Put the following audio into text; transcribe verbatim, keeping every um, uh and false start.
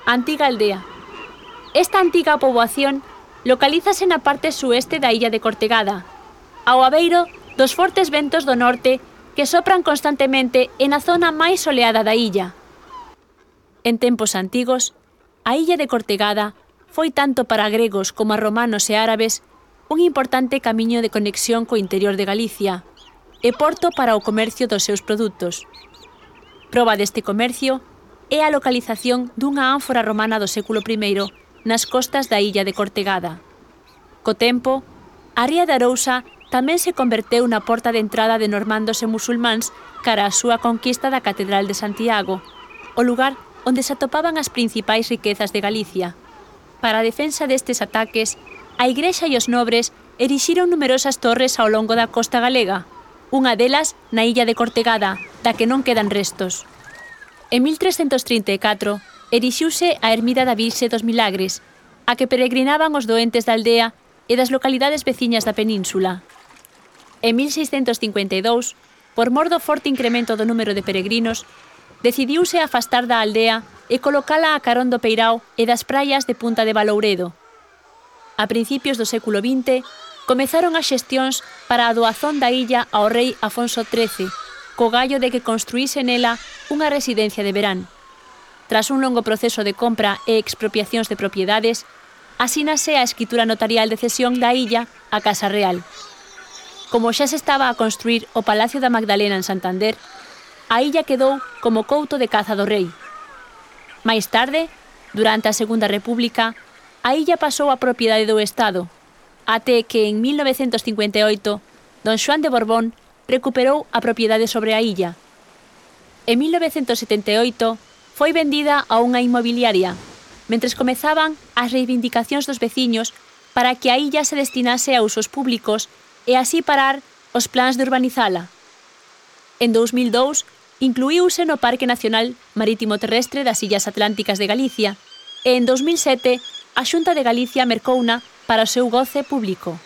Antiga aldea. Esta antiga poboación localízase na parte sueste da illa de Cortegada, ao abeiro dos fortes ventos do norte que sopran constantemente en a zona máis soleada da illa. En tempos antigos, a illa de Cortegada foi tanto para gregos como a romanos e árabes un importante camiño de conexión co interior de Galicia e porto para o comercio dos seus produtos. Proba deste comercio é a localización dunha ánfora romana do século primeiro nas costas da illa de Cortegada. Co tempo, a ría de Arousa tamén se converteu na porta de entrada de normandos e musulmáns cara á súa conquista da Catedral de Santiago, o lugar onde se atopaban as principais riquezas de Galicia. Para a defensa destes ataques, a Igrexa e os nobres erixiron numerosas torres ao longo da costa galega, unha delas na illa de Cortegada, da que non quedan restos. En mil trescentos trinta e catro, erixiuse a ermida da Virxe dos Milagres, a que peregrinaban os doentes da aldea e das localidades veciñas da península. En mil seiscentos cincuenta e dous, por mor do forte incremento do número de peregrinos, decidiuse afastar da aldea e colocala a carón do Peirao e das praias de Punta de Balouredo. A principios do século vinte, comezaron as xestións para a doazón da illa ao rei Afonso trece, co gallo de que construíse nela unha residencia de verán. Tras un longo proceso de compra e expropiacións de propiedades, asínase a escritura notarial de cesión da illa á Casa Real. Como xa se estaba a construir o Palacio da Magdalena en Santander, a illa quedou como couto de caza do rei. Máis tarde, durante a Segunda República, a illa pasou a propiedade do Estado, até que en mil novecentos cincuenta e oito, don Xoán de Borbón recuperou a propiedade sobre a illa. En mil novecentos setenta e oito foi vendida a unha inmobiliaria, mentres comezaban as reivindicacións dos veciños para que a illa se destinase a usos públicos e así parar os plans de urbanizala. En dous mil dous, incluíuse no Parque Nacional Marítimo Terrestre das Illas Atlánticas de Galicia e en dous mil sete a Xunta de Galicia mercouna para o seu goce público.